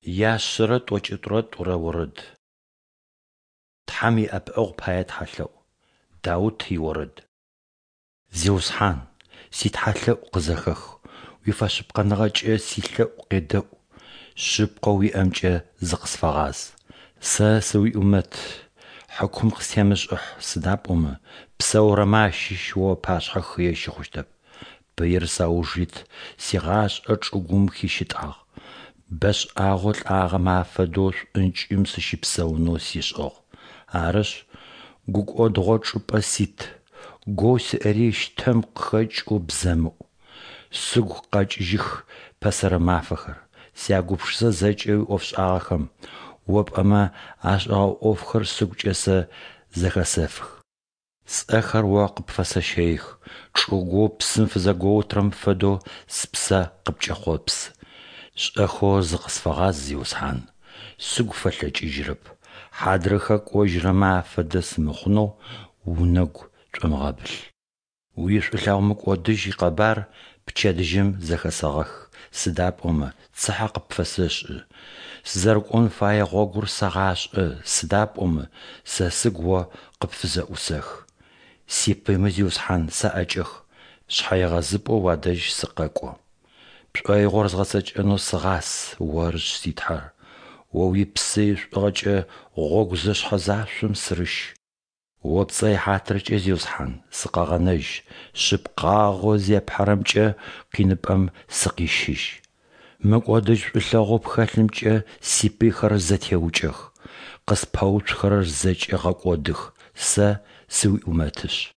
Яшъэрэ тӏокӏитӏурэ тӏурэ орэд. Тхьэм иӏэпыӏэгъу пае тхьэлъэӏу. Даут иорэд. Зиусхьан, ситхьалъэӏу къызэхэх, уифэшъыпкъэныгъэкӏэ силъэӏу къедэӏу, шъыпкъэу уиӏэмкӏэ зыкъысфэгъаз. Сэ сыуиӏумэт, хьыкум къыстемышӏыхь, сыда пӏомэ псэурэмэ ащыщ О ыпашъхьэ хые щыхъущтэп. Пыир сауж ит, сигъашӏэ чӏыгум хищытӏагъ, бэшӏагъэу лӏагъэмэ афэдэу шӏункӏым сыщыпсэунэу сишӏыгъ. Арышъ, гукӏодыгъо чӏыпӏэ сит, гоу сиӏэри щтэм къыхэкӏэу бзэмыӏу. Сыгу къэкӏыжьых пэсэрэ мафэхэр, сягупшысэ зэкӏэ уиӏофшӏагъэхэм, О пӏэмэ ашӏэгъэ ӏофхэр сыгукӏэ сэ зэхэсэфых. Сӏэхэр О къыпфэсэщэих, чӏыгоу псым фызэгоутырэм фэдэу спсэ къыпкӏэхъопсы. Шӏэхэу зыкъысфэгъаз, Зиусхьан, сыгу фэлъэкӏыжьырэп, хьадрыхэ кӏожьырэмэ афэдэ сымыхъунэу унэгу тшӏомыгъэбылъ. Уишӏулъэгъу мыкӏодыжь икъэбар пчэдыжьым зэхэсэгъэх, сыда пӏомэ цыхьэ къыпфэсэшӏы. Сызэрыкӏон фае гъогур сэгъашӏэ, сыда пӏомэ сэ сыгу О къыпфызэӏусэхы. Сипыймэ, Зиусхьан, саӏэкӏэх, шъхьэегъэзыпӏэу уадэжь сыкъэкӏо. Пшӏоигъор згъэцэкӏэнэу сыгъас, Орышъ си Тхьэр. О уипсы ишӏугъэкӏэ гъогу зэшъхьэ-зашъом сырыщ. О пцӏэ ихьатыркӏэ, Зиусхьан, сыкъэгъэнэжь, шъыпкъагъэу зепхьэрэмкӏэ къиныпӏэм сыкъищыжь. Мыкӏодыжь шӏулъэгъоу пхэлъымкӏэ сипыйхэр зэтеукӏэх, къыспэуцухэрэр зэкӏэ гъэкӏодых, сэ сыуиӏумэтышъ.